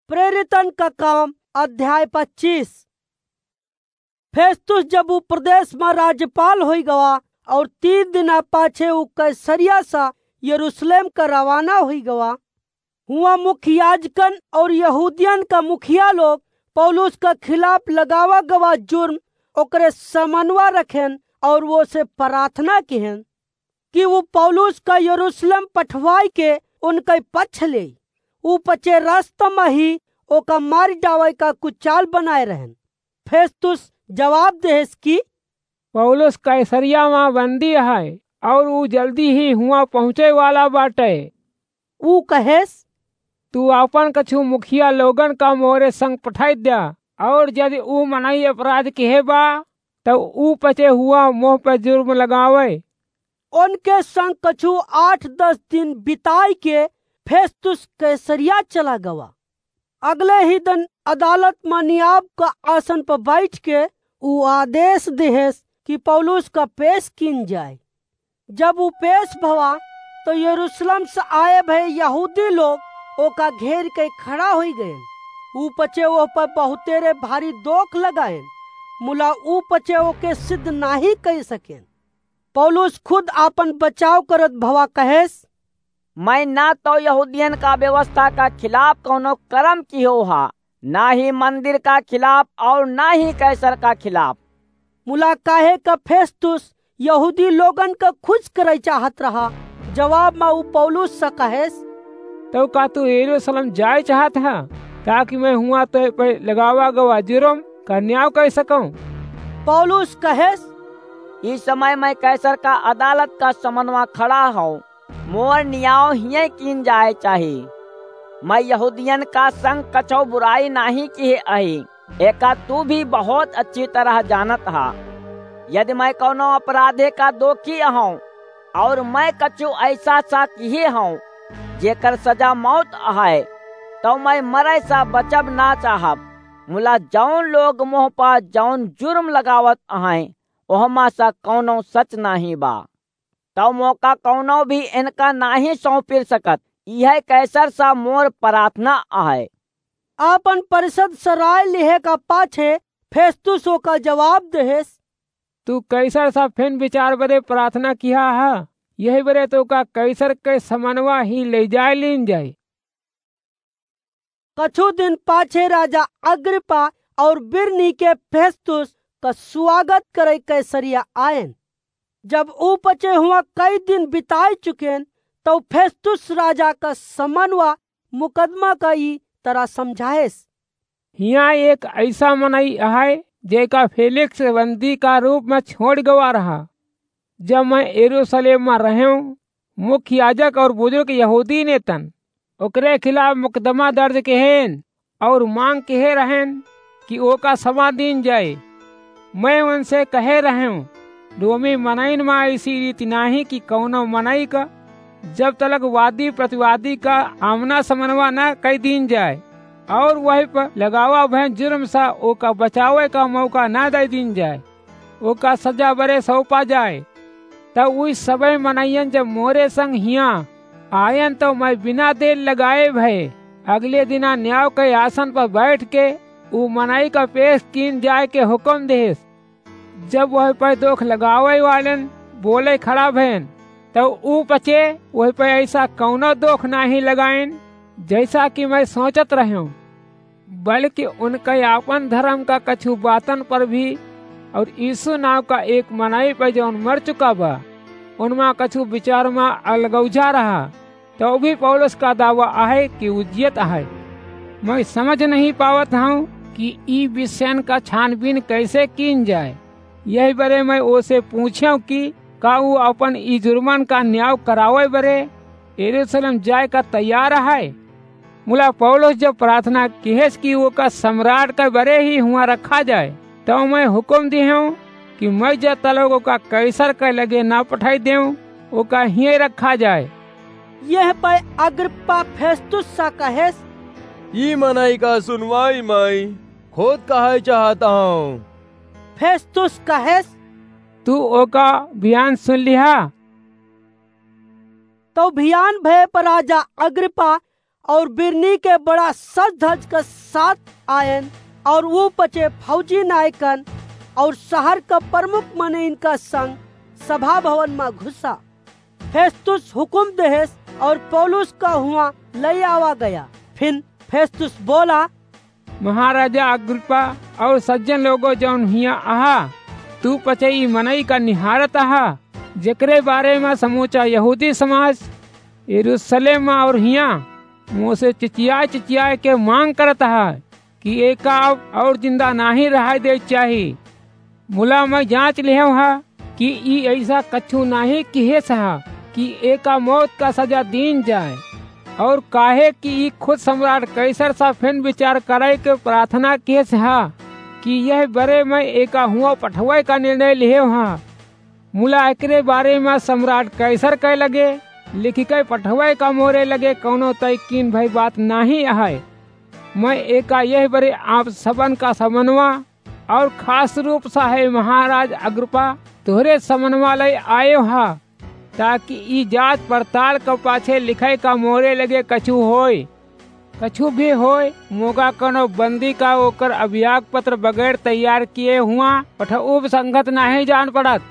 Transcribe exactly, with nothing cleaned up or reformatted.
प्रेरितन का काम, अध्याय पच्चीस। फेस्तुस जब उ प्रदेश मा राज्यपाल होइ गवा और तीन दिना पाछे उ कैसरिया सा यरूशलेम का रवाना होइ गवा, हुआ मुख्य याजकन और यहूदियन का मुखिया लोग पौलुस का खिलाफ लगावा गवा जुर्म ओकरे समनवा रखेन और वो से प्रार्थना किहेन कि उ पौलुस का यरूशलेम पठवाई के उनके पक्ष ले। उ पचे रास्ता मा ही ओका मार डावे का कुचाल बनाए रहन। फेस्तुस जवाब देहेस कि पौलुस कैसरिया मा बंदी है और उ जल्दी ही हुआ पहुँचे वाला बाटे। उ कहेस, तू आपन कछु मुखिया लोगन का मोरे संग पठाई द्या, और यदि उ मनई अपराध किहे बा, तो उ पचे हुआ मोह पे जुर्म लगावे। उनके संग कछु आठ दस दिन बिताई के फेस्तुस कैसरिया चला गवा। अगले ही दिन अदालत मा नियाब का आसन पर बैठ के उ आदेश देहेस कि पौलुस का पेश कीन जाए। जब उ पेश भवा, तो यरूशलेम से आए भए यहूदी लोग ओका घेर के खड़ा होई गए। उ पचे ओह पर बहुतेरे भारी दोख लगाएन, मुला उ पचे ओके सिद्ध नाही कर सकेन। पौलुस खुद आपन बचाव करत भवा कहेस, मैं ना तो यहूदियन का व्यवस्था का खिलाफ कौनो कर्म किहो हा, ना ही मंदिर का खिलाफ और ना ही कैसर का खिलाफ। मुला काहे का फेस्तुस यहूदी लोगन का खुश करे चाहत रहा, जवाब मा उ पौलुस से कहेस, तो का तू यरूशलेम जाए चाहत हा, ताकि मैं हुआ तो पे लगावा गवा जुर्म का न्याय कर सकूं? पौलुस कहेस, इस समय मैं कैसर का अदालत का समनवा खड़ा हूँ, मोर न्याय हिये कीन जाए चाही। मैं यहूदियन का संग कछो बुराई नाही किहे अही, एका तू भी बहुत अच्छी तरह जानत हा। यदि मैं कौनो अपराधे का दोखी अहूँ और मैं कछु ऐसा सा किहे हूँ जेकर सजा मौत अहै, तो मैं मरे सा बचब ना चाहब। मुला जौन लोग मोह पा जौन जुर्म लगावत अहैं, ओहमा सा कौनो सच नाही बा। तौ मोका कौनो भी इनका नाहीं सौंपिर सकत। इहै कैसर सा मोर प्रार्थना अहै। आपन परिषद स राय लिहे का पाछे फेस्तुस ओका जवाब देहेस, तू कैसर सा फिन विचार बदे प्रार्थना किहा हा, यही बदे तोका कैसर के समनवा ही ले जाए लीन जाए। कछु दिन पाछे राजा अग्रिप्पा और बिरनीके फेस्तुस क सुआगत करै कैसरिया आएन। जब ऊ पचे हुआँ कई दिन बिताय चुकेन, तौ फेस्तुस राजा क समनवा मुकदमा क ई तरह समझाएस। हियाँ एक अइसा मनई अहै, जेका फेलिक्स बंदी का रूप म छोड़ गवा रहा। जब मैं यरूसलेम म रहेंव, मुख्य याजक और बुजुर्ग यहूदी नेतन ओकरे खिलाफ मुकदमा दर्ज किहेन और मांग किहे रहेन कि ओका समा दीन जाए। मैं उनसे कहे रहेंव, रोमी मनइन म अइसी रीति नाहीं कि कौनो मनई क जब तलक वादी प्रतिवादी क आमना समनवा न कइ दीन जाए और वही पर लगावा भय जुर्म सा ओका बचावे क मौका न दइ दीन जाए। ओका सजा बरे सौंपा जाए। तब उई सबइ मनइयन जब मोरे संग हियाँ आयन, तौ मैं बिना देर लगाए भए अगले दिना न्याव के आसन पर बैठ के ऊ मनई का पेश कीन जाए के हुकम देहेस। जब वह पे दोख लगावे वालेन बोले खड़ा भएन, तौ ऊ पचे वह पे अइसा कौनो दोख नाहीं लगाएन, जइसा कि मैं सोचत रहेंव। बल्कि उनके आपन धरम का कछु बातन पर भी और यीशु नाव का एक मनई पर जौन मर चुका बा, उनमा कछु विचार म अलगौझा रहा, तौ भी पौलुस का दावा अहै कि ऊ जियत अहै। मैं समझ नहीं पावत हूँ कि ई विषयन का छानबीन कैसे कीन जाए। यही बरे मैं ओसे पूछेंव कि का ऊ अपन ई जुर्मन का न्याव करावे बरे यरूसलेम जाए का तैयार अहै? मुला पौलुस जब प्रार्थना किहेस कि ओका सम्राट के बरे ही हुआँ रखा जाए, तौ मैं हुकम दिहेंव कि मैं जब तलक ओका कैसर के लगे न पठाई देंव, ओका हियें रखा जाए। यह पै अग्रिप्पा फेस्तुस सा कहेस, ई मनई का सुनवाई मैं खुद कहै चाहत हूँ। फेस्तुस कहेस, तू ओका भियान सुन लिहा। तौ भियान भय पर राजा अग्रिप्पा और बिरनीके बड़ा सज धज क साथ आयन, और ऊ पछे फौजी नायकन और शहर क प्रमुख मनइन क संग सभा भवन म घुसा। फेस्तुस हुकुम देहेस और पौलुस क हुआँ लइ आवा गया। फिन फेस्तुस बोला, महाराजा अग्रिप्पा और सज्जन लोगो जौन हियाँ अहा, तू पछे ई मनई का निहारत अहा, जेकरे बारे म समूचा यहूदी समाज यरूशलेम म और हियाँ मोसे चिचियाय चिचियाय के माँग करत अहा कि एका अब और जिंदा नाहीं रहाय देइ चाही। मुला मइँ जाँच लेहेव हा कि ई अइसा कछू नाहीं किहेस हा कि एका मौत का सजा दीन जाए, और काहे कि ई खुद सम्राट कैसर सा फिन विचार करइ के प्रार्थना किहेस हा कि यह बरे मइँ एका हुआँ पठवइ का निर्णय लेहेव हा। मुला एकरे बारे म सम्राट कैसर के लगे लिखिके पठवइ का मोरे लगे कउनो तय कीन भई बात नाहीं अहइ। मइँ एका यह बरे आप सबन का समनवा और खास रूप सा हे महाराज अग्रिप्पा, तोहरे समनवा लइ आयो हा, ताकि ई जाँच पड़ताल क पाछे लिखइ का मोरे लगे कछू होय, कछू भी होय, मोगा कउनो बंदी का ओकर अभियाग पत्र बगैर तैयार किए हुआँ पठउब संगत नाहीं जान पड़त।